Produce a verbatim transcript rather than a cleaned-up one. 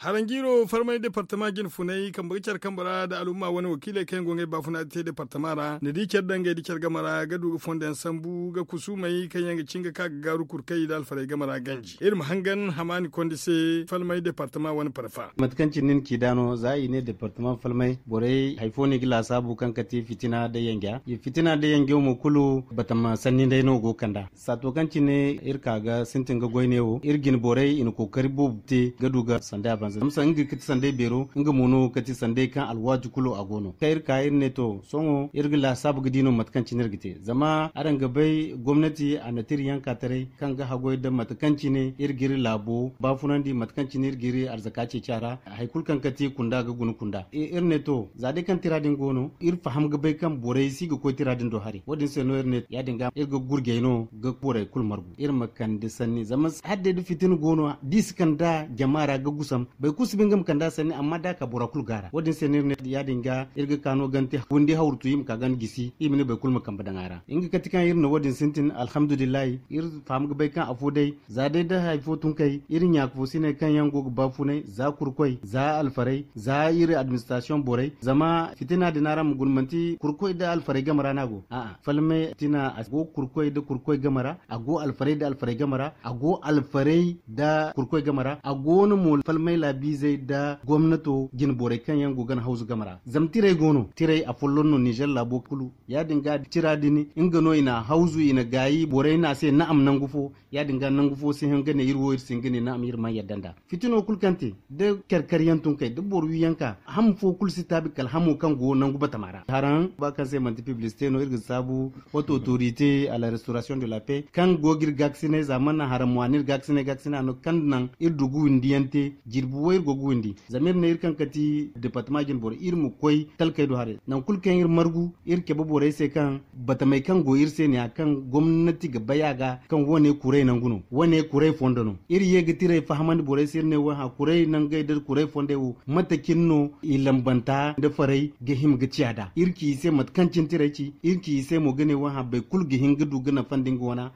Haranjiiro farmay departama jine funay kambe ga care kambe ra nda alumma wane wakiiley kaŋ yaŋ go ngey baafuna te departama ra ni di care dangey nda care game ra ga du ga fondo yaŋ sambu ga kusumey kaŋ yaŋ ga cin ga ka ga gaaru kurkey nda alfarey game ra ganji iri ma hangan hamaani kondi se falmay departama wane parfa. Mate kaŋ cine ni ci nd'a no za i ne departama falmey borey hari fo no i ga laasaabu kaŋ ga ti fitina nda yanja fitina nda yanja mo kulu batama sanni day no go ga kand'a. Saato kaŋ cine iri ka ga sintin ga goy ne wo iri jine borey i na kookari boobo te ga du ga sanday abanza zama sanday ga ti sanday beero nga mo no ga ti sanday kaŋ alwaati kulu a go no kaŋ iri ka iri ne to sohõ iri ga laasaabu ga di no mate kaŋ cine iri ga te zama araŋ ga bay gomnati a na tira yanka taray kaŋ ga hagoy nda mate kaŋ cine iri ga iri laabo baafunandi mate kaŋ cine iri ga iri arzaka ceeci a ra. Hari kulu kaŋ ga ti kunda ga guna kunda iri ne to za day kaŋ tira din go no iri faham ga bay kaŋ borey si ga koy tira din do haray wo- din se no iri ne ya- din ga iri ga gurjay no ga borey kulu margu iri ma kande sanni zama hala day da fitina go no da i si kand'a jama ra ga gusam boro kulu si ba nga ma kand'a sanni amma da a ka bora kulu gaara wo- din se no iri ne ya- din ga iri ga ka no gante windi hawru tu i ma ka ganda gisi i ma ne boro kulu ma kambe daŋ a ra nga kate kaŋ iri na wo- din sintin alhamdulillahi iri faham ga bay kaŋ afo day za day da hari fo tun kay iri ɲaaka fo si ne kaŋ yaŋ go ga baafunay za kurkoy za alfarey za iri administrasiyoŋ borey zama fitina din araŋ ma guna manti kurkoy nda alfarey game ra no a go a'a falmay fitina a go kurkoy nda kurkoy game ra a go alfarey nda alfarey game ra a go alfarey nda kurkoy game ra a go no mo falmay laabiizey nda gomnato jine borey kaŋ yaŋ go ga na hawzu game ra zama tirey go no tirey afolloŋ no nizer laabo kulu ya- din ga tira din nga no i na hawzu i na gaayi borey no a se na'am nangu fo ya- din ga nangu fo si hin ga ne iri wo iri si hin ga ne na'am iri mana yadda nd'a fitino kulu kaŋ te da kar-kar yaŋ tun kay da boro wi yaŋ ka ham fo kulu si taabi kala hamo kaŋ go nangu batama ra haraŋ ba kaŋ se manti piblisite no iri ga saabu haute autorité à la restauration de la paix kaŋ go ga iri gaakasinay za mana haraŋ mo a na iri gaakasinay gaakasinay a no kaŋ naŋ iri du ga windi yaŋ te jirbi wo iri go ga windi zama iri ne iri kaŋ ga ti departama jine boro iri ma koy talkey do haray nangu kulu kaŋ iri margu iri cabe borey se kaŋ batamey kaŋ go iri se ne ya kaŋ gomnati ga bay a ga kaŋ wane kuray nangu no wane kuray fondo no iri ye ga tirey fahamandi borey se iri ne wo hã kuray nangey nda kuray fondey wo mate cine no i lambanta nda farey ga hima ga ciya nd'a iri ci i se mate kaŋ cine tirey ci iri ci i se mo ga ne wo hã boro kulu ga hin ga du ga nafandi nga wana